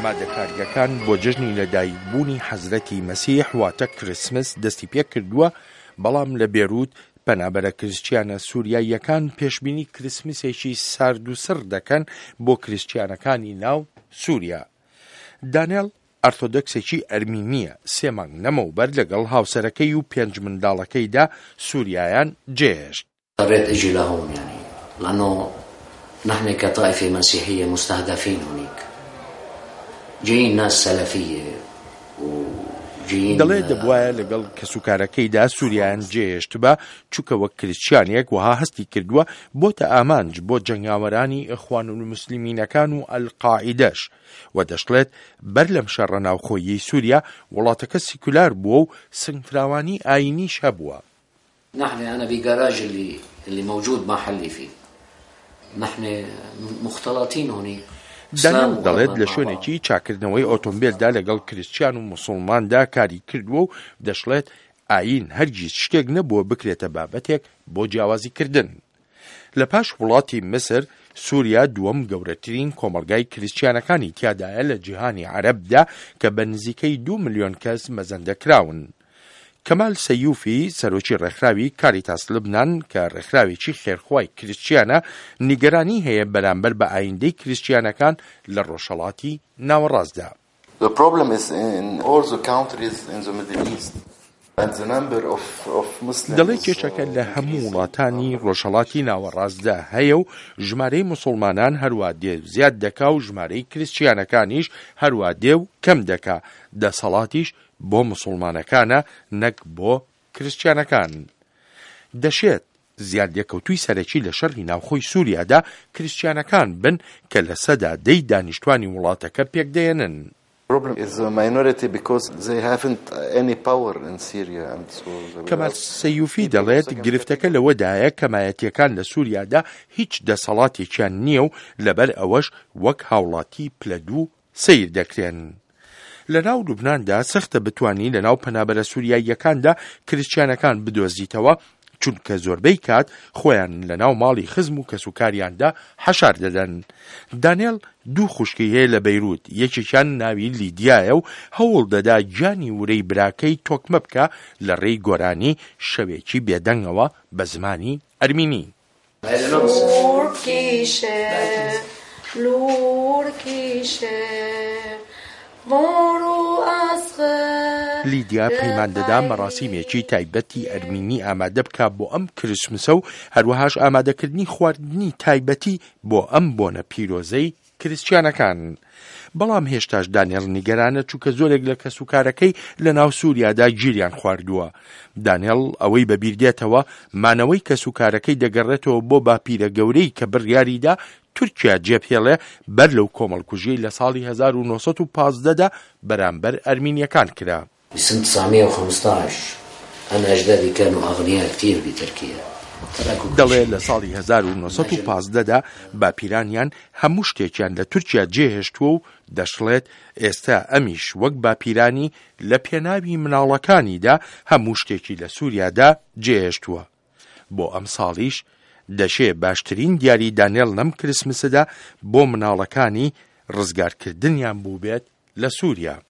ئامادەکارییەکان بۆ جەژنی لەدایکبوونی حەزرەتی مەسیح واتە کریسمس دەستی پێکردووە، بەڵام لە بێروت پەنابەرە کریسچیانە سوریاییەکان پێشبینی کریسمسێکی سارد و سڕ دەکەن بۆ کریسچیانەکانی ناو سوریا. دانێڵ ئەرتۆدۆکسێکی ئەرمینییە، سێ مانگ لەمەوبەر لەگەڵ هاوسەرەکەی و پێنج منداڵەکەیدا سوریایان جێهێشت. اضطريت اجي لهون يعني لانه نحن كطائفة مسيحية مستهدفين هونيك جايين ناس سلفية وجايين دەڵێ دەبوایە لەگەڵ کەسوکارەکەیدا سوریایان جێهێشتبا، چونکە وەک کریسچیانێک وەها هەستی کردووە بۆتە ئامانج بۆ جەنگاوەرانی ئیخوانولموسلیمینەکان و ئەلقاعیدەش و دەشڵێت بەر لەم شەڕە ناوخۆییەی سوریا وڵاتەکە سیکولار بووە و سنگفراوانی ئایینیش هەبووە. نحن انا بجراج اللي اللي موجود محلي فيه نحن مختلطين هونيك دانیاڵ دەڵێت لە شوێنێکی چاککردنەوەی ئۆتۆمبێلدا لەگەڵ کریسچیان و موسوڵماندا کاری کردووە و دەشڵێت ئایین هەرگیز شتێک نەبووە بکرێتە بابەتێک بۆ جیاوازیکردن. لە پاش وڵاتی میسر، سوریا دووەم گەورەترین کۆمەڵگای کریسچیانەکانی تیادایە لە جیهانی عەرەبدا کە بە نزیکەی دوو ملیۆن کەس مەزەندە کراون. کەمال سەیوفی، سەرۆکی ڕێکخراوی کاریتاس لوبنان کە ڕێکخراوێکی خێرخوای کریسچیانە، نیگەرانی هەیە بەرامبەر بە ئایندەی کریسچیانەکان لە ڕۆژهەڵاتی ناوەڕاستدا. The problem is in all the countries in the Middle East and the number of of Muslims دەڵێ کێشەکە لە هەموو وڵاتانی ڕۆژهەڵاتی ناوەڕاستدا هەیە و ژمارەی موسوڵمانان هەروا دێ و زیاد دەکا و ژمارەی کریسچیانەکانیش هەروا دێ و کەم دەکا، دەسەڵاتیش بۆ موسوڵمانەکانە نەک بۆ کریسچیانەکان. دەشێت زیانلێکەوتووی سەرەکی لە شەڕی ناوخۆی سوریادا کریسچیانەکان بن کە لەسەدا دەی دانیشتوانی وڵاتەکە پێکدەێنن. کەمال سەیوفی دەڵێت گرفتەکە لەوەدایە کەمایەتییەکان لە سوریادا هیچ دەسەڵاتێکیان نییە و لەبەر ئەوەش وەک هاوڵاتی پلە دوو سەیر دەکرێن. لە ناو لوبناندا سەختە بتوانی لە ناو پەنابەرە سوریاییەکاندا کریسچیانەکان بدۆزیتەوە، چونکە زۆربەی کات خۆیان لە ناو ماڵی خزم و کەسوکاریاندا حەشار دەدەن. دانێل دوو خوشکی هەیە لە بەیروت، یەکێکیان ناوی لیدیایە و هەوڵ دەدا گیانی ورەی براکەی تۆکمە بکا لە ڕێی گۆرانی شەوێکی بێدەنگەوە بە زمانی ئەرمینی. لیدیا پەیمان دەدا مەراسیمێکی تایبەتی ئەرمینی ئامادە بکا بۆ ئەم کریسمسە و هەروەهاش ئامادەکردنی خواردنی تایبەتی بۆ ئەم بۆنە پیرۆزەی کریسچیانەکان. بەڵام هێشتاش دانێڵ نیگەرانە چونکە زۆرێک لە کەسوکارەکەی لە ناو سوریادا گیریان خواردووە. دانێڵ ئەوەی بەبیر دێتەوە، مانەوەی کەسوکارەکەی دەگەڕێتەوە بۆ باپیرە گەورەی کە بڕیاریدا تورکیا جێبهێڵێ بەر لەو کۆمەڵکوژیەی لە ساڵی 1915 دا بەرامبەر ئەرمینیەکان کرا. بسنة 915 انا اجدادي كانوا اغنياء كتير بتركيا تركوا كل دەڵێ شيء لە ساڵی 1915 دا باپیرانیان هەموو شتێکیان لە تورکیا جێهێشتووە و دەشڵێت ئێستا ئەمیش وەک باپیرانی لە پێناوی مناڵەکانیدا هەموو شتێکی لە سوریادا جێهێشتووە. بۆ ئەمساڵیش دەشێ باشترین دیاری دانێڵ لەم کریسمسەدا بۆ مناڵەکانی ڕزگارکردنیان بووبێت لە سوریا.